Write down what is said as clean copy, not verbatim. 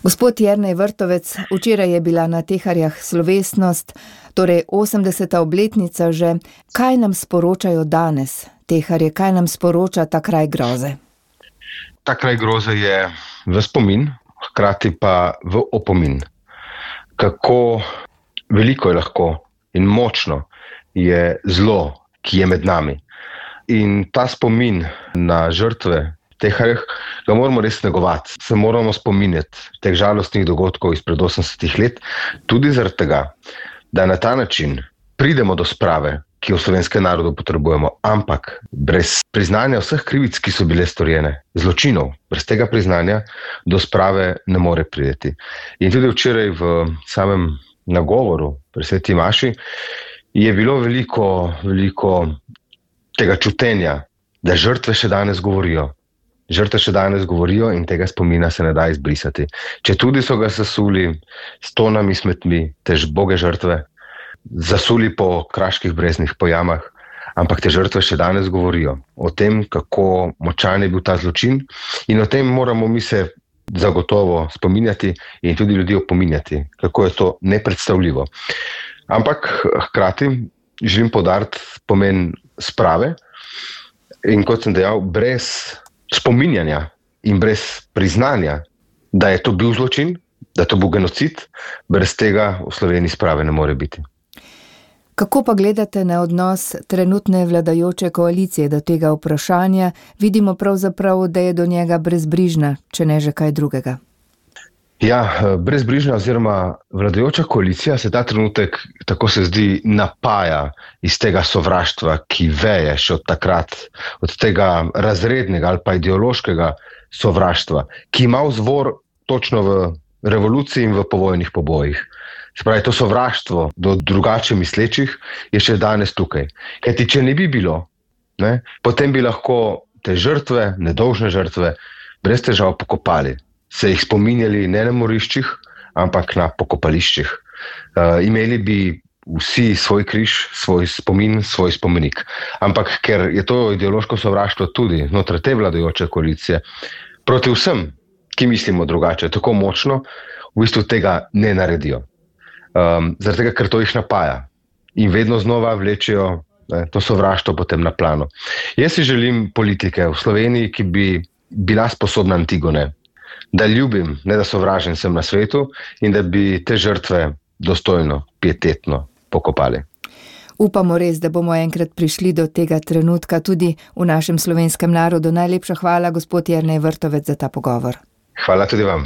Gospod Jernej Vrtovec, včeraj je bila na Teharjah slovesnost, torej 80. obletnica že. Kaj nam sporočajo danes Teharje, kaj nam sporoča ta kraj groze? Ta kraj groze je v spomin, hkrati pa v opomin. Kako veliko je lahko in močno je zlo, ki je med nami. In ta spomin na žrtve Teharjah ga moramo res negovati. Se moramo spominjati teh žalostnih dogodkov izpred 80 let, tudi zaradi tega, da na ta način pridemo do sprave, ki jo v slovenskem narodu potrebujemo, ampak brez priznanja vseh krivic, ki so bile storjene, zločinov, brez tega priznanja do sprave ne more priti. In tudi včeraj v samem nagovoru pri sveti maši je bilo veliko tega čutenja, da žrtve še danes govorijo. Žrtve še danes govorijo in tega spomina se ne da izbrisati. Če tudi so ga zasuli s tonami smetmi, te žboge žrtve, zasuli po kraških breznih, po jamah, ampak te žrtve še danes govorijo o tem, kako močan je bil ta zločin, in o tem moramo mi se zagotovo spominjati in tudi ljudi opominjati, kako je to nepredstavljivo. Ampak hkrati želim poudariti pomen sprave in, kot sem dejal, brez spominjanja in brez priznanja, da je to bil zločin, da to bil genocid, brez tega v Sloveniji sprave ne more biti. Kako pa gledate na odnos trenutne vladajoče koalicije do tega vprašanja? Vidimo pravzaprav, da je do njega brezbrižna, če ne že kaj drugega. Ja, brezbrižna oziroma vladajoča koalicija se ta trenutek, tako se zdi, napaja iz tega sovraštva, ki veje še od takrat, od tega razrednega ali pa ideološkega sovraštva, ki ima vzvor točno v revoluciji in v povojnih pobojih. Se pravi, to sovraštvo do drugače mislečih je še danes tukaj. Kajti, če ne bi bilo, potem bi lahko te žrtve, nedolžne žrtve, brez težav pokopali. Se jih spominjali ne na moriščih, ampak na pokopališčih. Imeli bi vsi svoj križ, svoj spomin, svoj spomenik. Ampak ker je to ideološko sovraštvo tudi znotraj te vladajoče koalicije proti vsem, ki mislimo drugače, tako močno, v bistvu tega ne naredijo. Zaradi tega, ker to jih napaja in vedno znova vlečejo to sovraštvo potem na plano. Jaz si želim politike v Sloveniji, ki bi bila sposobna Antigone, da ljubim, ne da sovražim sem na svetu, in da bi te žrtve dostojno, pietetno pokopali. Upamo res, da bomo enkrat prišli do tega trenutka tudi v našem slovenskem narodu. Najlepša hvala, gospod Jernej Vrtovec, za ta pogovor. Hvala tudi vam.